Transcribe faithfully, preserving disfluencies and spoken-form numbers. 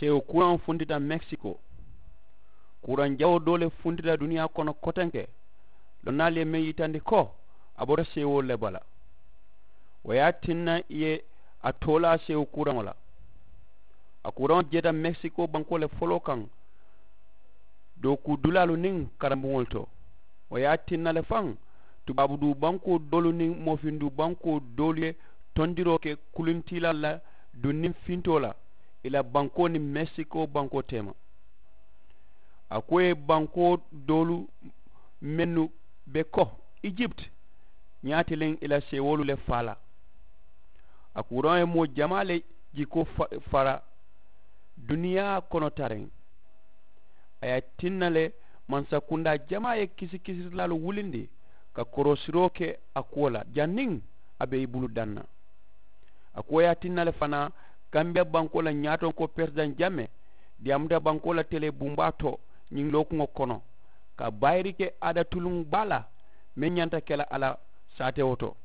Seewo kuraŋo funtita mekisiko. Kuraŋ jawoo doo le funtita duniyaa kono kotenke. Lonnaalu ye meŋ yitandi ko a bota seewoolu le bala. Wo ye a tinna i ye a toolaa seewo kuraŋo la. A kuraŋo jeeta mekisiko bankoo le foloo kaŋ, dookuu dulaalu niŋ karambuŋolu to. Wo ye a tinna le faŋ, tubaabu duu bankoo doolu niŋ moofiŋ duu bankoo doolu ye tondiroo ke kulintiilaalu la duŋ niŋ fintoo la i la bankoo niŋ mekisiko bankoo teema. A ko ye bankoo doolu mennu be ko ijipiti, ñaatiliŋ i la seewoolu le faa la. A kuraŋo ye moo jamaa le jikoo fara duniyaa kono tariŋ. A ye a tinna le mansakundaa jamaa ye kisikisirilaalu wulindi ka korosiroo ke a kuwo la janniŋ a be i bulu daŋ na. A ko ye a tinna le fanaa kambiya bankoo la ñaatonkoo peresidaŋ jame diyaamuta bankoo la telee bumbaa to ñiŋ lookuŋo kono ka bayiri ke aada tuluŋ baa la meŋ ñanta ke la a la saatewo to.